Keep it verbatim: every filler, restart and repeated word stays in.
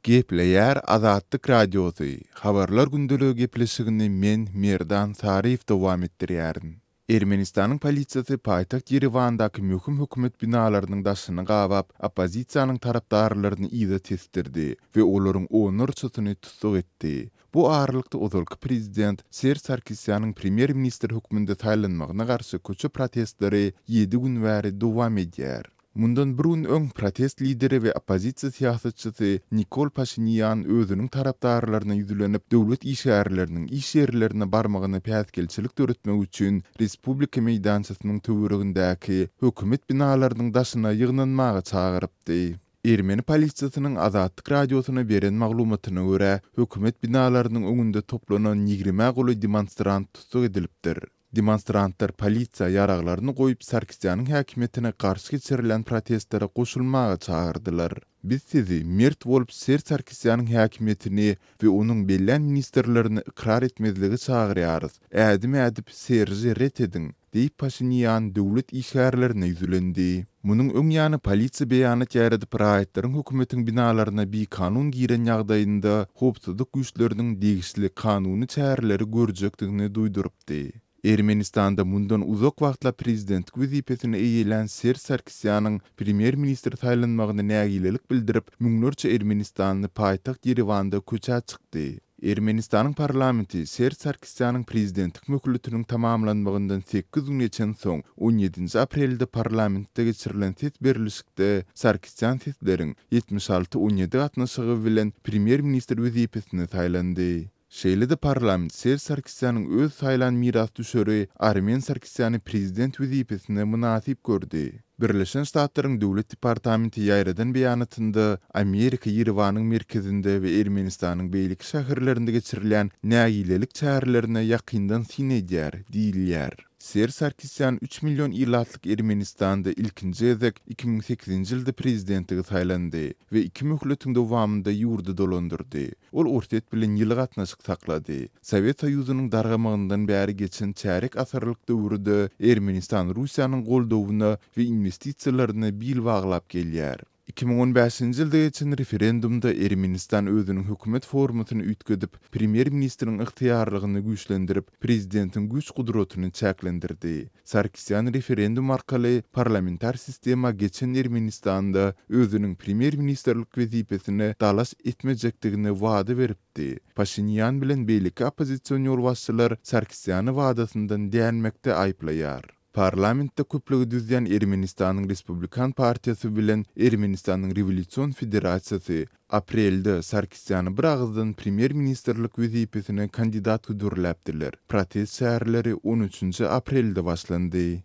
Gepleýär Azatlyk Radiosy, Habarlar gündeligi gepleşigini men, Merdan Saryýew dowam etdirýärin. Ermenistanyň polisiýasy paýtagt Ýerewandaky möhüm hökümet binalarynyň daşyny gabap, oppozisiýanyň tarapdarlaryny yza tesdirdi we olaryň onlarçasyny tussag etdi. Bu aralykda ozalky prezident Serž Sarkisýanyň premýer-ministr hökmünde saýlanmagyna garşy köçe protestleri ýedi gün bäri dowam edýär. Mundan bir gün öň protest lideri we oppozisiýa syýasatçysy Nikol Paşinýan özüniň tarapdarlaryna ýüzlenip, döwlet işgärleriniň iş ýerlerine barmagyna päsgelçilik döretmek üçin Respublika meýdançasynyň töweregindäki hökümet binalarynyň daşyna ýygnanmaga çagyrypdy. Ermeni polisiýasynyň Azatlyk Radiosyna beren maglumatyna görä, hökümet binalarynyň öňünde toplanan ýigrimä golaý demonstrant tussag edilipdir. Demonstrantlar polisiýa ýaraglaryny goýup, Sarkisýanyň häkimiýetine garşy geçirilýän protestlere goşulmaga çagyrdylar. Biz sizi mert bolup Serž Sarkisýanyň häkimiýetini we onuň bellän ministrlerini ykrar etmezlige çagyrýarys. Ädim ädip Serži ret ediň, diýip Paşinýan döwlet işgärlerine ýüzlendi. Munuň öň ýany polisiýa beýanat ýaýradyp, raýatlaryň hökümetiň binalaryna bikanun giren ýagdaýynda howpsuzlyk güýçleriniň degişli kanuny çäreleri görjekdigini duýdurypdy. Ermenistanda mundan uzak wagtlap prezidentlik wezipesini eýelän Serž Sarkisýanyň premýer-ministr saýlanmagyna nägilelik bildirip, müňlerçe ermenistanly paýtagt Ýerewanda köçä çykdy. Ermenistanyň parlamenti Serž Sarkisýanyň prezidentlik möhletiniň tamamlanmagyndan sekiz gün geçensoň, on ýedinji aprelde parlamentde geçirilen ses berlişikde Sarkisýan sesleriň ýetmiş alty on ýedi gatnaşygy bilen premýer-ministr wezipesine saýlandy. Şeýle-de parlament Serž Sarkisýanyň öz saýlan mirasdüşeri Armen Sarkisýany prezident wezipesine mynasyp gördi. Birleşen Ştatlaryň Döwlet departamenti ýaýradan beýanatynda Amerika Ýerewanyň merkezinde we Ermenistanyň beýleki şäherlerinde geçirilýän nägilelik çärelerine ýakyndan syn edýär diýilýär. Serž Sarkisýan üç million ilatlyk Ermenistanda ilkinji gezek iki müň sekizinji ýylda prezidentligi saýlandy we iki möhletiň dowamynda ýurdy dolandyrdy. Ol Orsýet bilen ýyly gatnaşyk saklady. Sowet Soýuzynyň dargamagyndan bäri geçen çärýek asyrlyk döwürde Ermenistan Russiýanyň goldawyna we inwestisiýalaryna bil baglap gelýär. Iki müň on bäşinji ýylda geçen referendumda Ermenistan özüniň hökümet formasyny üýtgedip, premýer-ministriň ygtyýarlygyny güýçlendirip, prezidentiň güýç-gudratyny çäklendirdi. Sarkisýan referendum arkaly parlamentar sistema geçen Ermenistanda özüniň premýer-ministrlik wezipesine dalaş etmejekdigini wada beripdi. Paşinýan bilen beýleki oppozision ýolbaşçylar Sarkisýany wadasyndan dänmekde aýyplaýar. Parlamentde köplügi düzýän Ermenistanyň Respublikan partiýasy bilen Ermenistanyň Rewolýusion federasiýasy aprelde Sarkisýany bir agyzdan premýer-ministrlik wezipesine kandidat hödürläpdiler. Protest çäreleri on üçünji aprelde başlandy.